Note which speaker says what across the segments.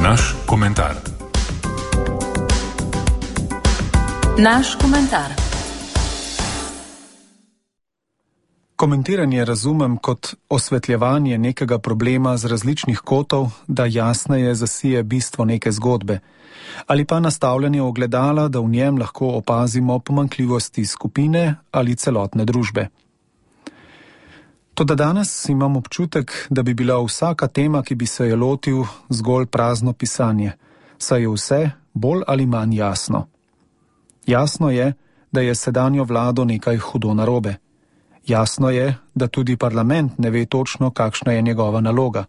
Speaker 1: Naš komentar.
Speaker 2: Naš komentar.
Speaker 3: Komentiranje razumem kot osvetljevanje nekega problema z različnih kotov, da jasneje zasije bistvo neke zgodbe, ali pa nastavljanje ogledala, da v njem lahko opazimo pomanjkljivosti skupine ali celotne družbe. Toda danes imam občutek, da bi bila vsaka tema, ki bi se je lotil, zgolj prazno pisanje, saj je vse bolj ali manj jasno. Jasno je, da je sedanjo vlado nekaj hudo narobe. Jasno je, da tudi parlament ne ve točno, kakšna je njegova naloga.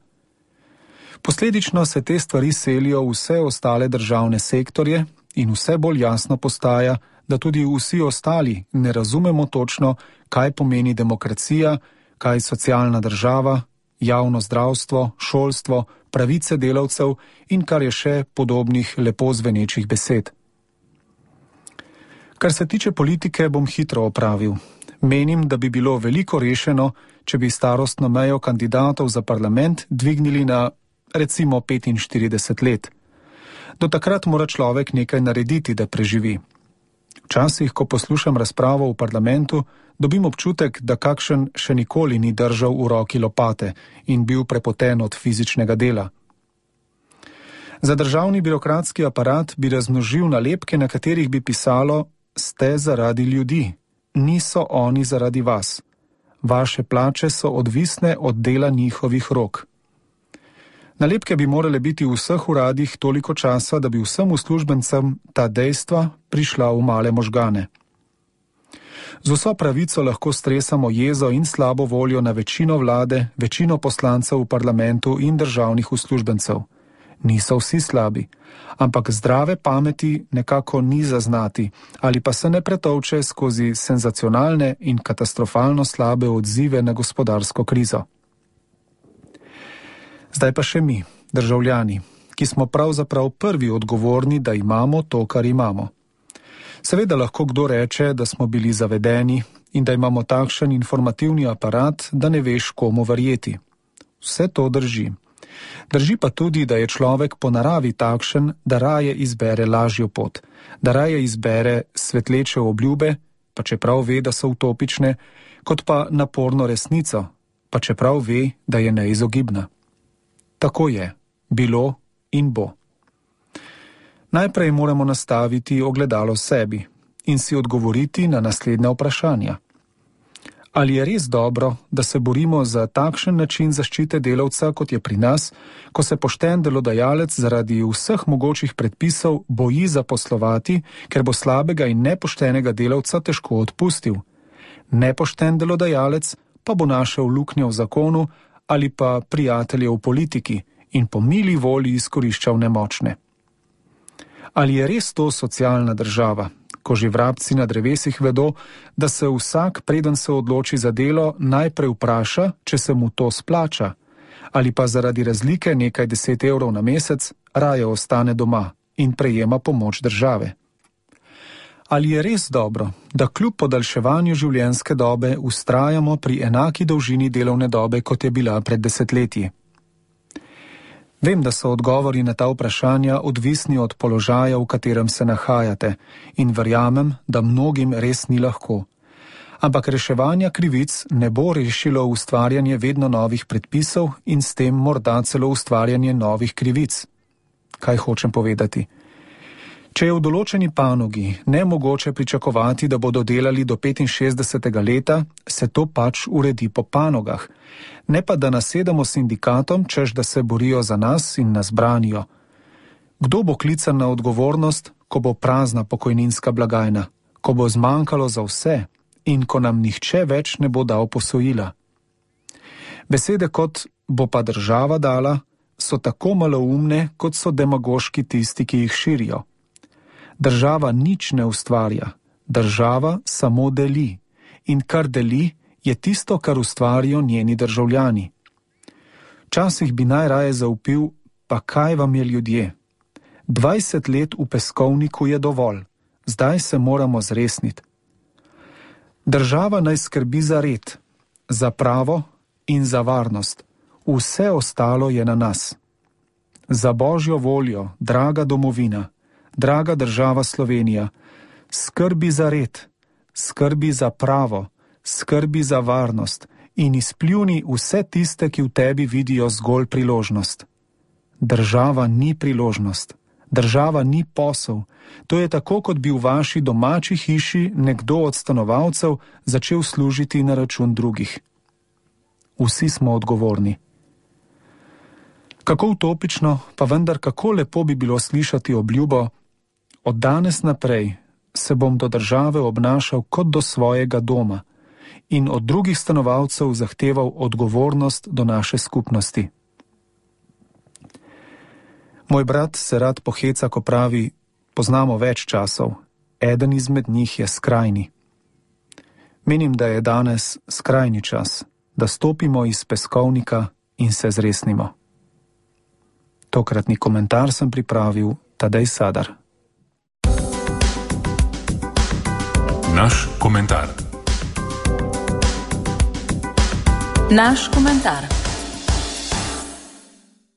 Speaker 3: Posledično se te stvari selijo v vse ostale državne sektorje in vse bolj jasno postaja, da tudi vsi ostali ne razumemo točno, kaj pomeni demokracija, kaj socialna država, javno zdravstvo, šolstvo, pravice delavcev in kar je še podobnih lepo zvenečih besed. Kar se tiče politike, bom hitro opravil. Menim, da bi bilo veliko rešeno, če bi starostno mejo kandidatov za parlament dvignili na, recimo, 45 let. Do takrat mora človek nekaj narediti, da preživi. Včasih, ko poslušam razpravo v parlamentu, dobim občutek, da kakšen še nikoli ni držal v roki lopate in bil prepoten od fizičnega dela. Za državni birokratski aparat bi razmnožil nalepke, na katerih bi pisalo: ste zaradi ljudi, niso oni zaradi vas. Vaše plače so odvisne od dela njihovih rok. Nalepke bi morale biti v vseh uradih toliko časa, da bi vsem uslužbencem ta dejstva prišla v male možgane. Z vso pravico lahko stresamo jezo in slabo voljo na večino vlade, večino poslancev v parlamentu in državnih uslužbencev. Niso vsi slabi, ampak zdrave pameti nekako ni zaznati ali pa se ne pretovče skozi senzacionalne in katastrofalno slabe odzive na gospodarsko krizo. Zdaj pa še mi, državljani, ki smo pravzaprav prvi odgovorni, da imamo to, kar imamo. Seveda lahko kdo reče, da smo bili zavedeni in da imamo takšen informativni aparat, da ne veš, komu verjeti. Vse to drži. Drži pa tudi, da je človek po naravi takšen, da raje izbere lažjo pot, da raje izbere svetleče obljube, pa čeprav ve, da so utopične, kot pa naporno resnico, pa čeprav ve, da je neizogibna. Tako je, bilo in bo. Najprej moramo nastaviti ogledalo sebi in si odgovoriti na naslednja vprašanja. Ali je res dobro, da se borimo za takšen način zaščite delavca, kot je pri nas, ko se pošten delodajalec zaradi vseh mogočih predpisov boji zaposlovati, ker bo slabega in nepoštenega delavca težko odpustil? Nepošten delodajalec pa bo našel luknjo v zakonu ali pa prijatelje v politiki in po mili volji izkoriščal nemočne. Ali je res to socialna država, ko že vrabci na drevesih vedo, da se vsak, preden se odloči za delo, najprej vpraša, če se mu to splača, ali pa zaradi razlike nekaj 10 evrov na mesec raje ostane doma in prejema pomoč države? Ali je res dobro, da kljub podaljševanju življenjske dobe vztrajamo pri enaki dolžini delovne dobe, kot je bila pred desetletji? Vem, da so odgovori na ta vprašanja odvisni od položaja, v katerem se nahajate, in verjamem, da mnogim res ni lahko. Ampak reševanja krivic ne bo rešilo ustvarjanje vedno novih predpisov in s tem morda celo ustvarjanje novih krivic. Kaj hočem povedati? Če je v določeni panogi nemogoče pričakovati, da bodo delali do 65. leta, se to pač uredi po panogah, ne pa da nasedamo sindikatom, češ da se borijo za nas in nas branijo. Kdo bo klican na odgovornost, ko bo prazna pokojninska blagajna, ko bo zmanjkalo za vse in ko nam nihče več ne bo dal posojila? Besede kot bo pa država dala so tako maloumne, kot so demagoški tisti, ki jih širijo. Država nič ne ustvarja, država samo deli in kar deli je tisto, kar ustvarijo njeni državljani. Včasih bi najraje zaupil, pa kaj vam je ljudje? 20 let v peskovniku je dovolj, zdaj se moramo zresniti. Država naj skrbi za red, za pravo in za varnost. Vse ostalo je na nas. Za Božjo voljo, draga domovina, draga država Slovenija, skrbi za red, skrbi za pravo, skrbi za varnost in izpljuni vse tiste, ki v tebi vidijo zgolj priložnost. Država ni priložnost, država ni posel. To je tako, kot bi v vaši domači hiši nekdo od stanovalcev začel služiti na račun drugih. Vsi smo odgovorni. Kako utopično, pa vendar kako lepo bi bilo slišati obljubo: od danes naprej se bom do države obnašal kot do svojega doma in od drugih stanovalcev zahteval odgovornost do naše skupnosti. Moj brat se rad poheca, ko pravi: poznamo več časov, eden izmed njih je skrajni. Menim, da je danes skrajni čas, da stopimo iz peskovnika in se zresnimo. Tokratni komentar sem pripravil Tadej Sadar.
Speaker 2: Naš komentar. Naš komentar.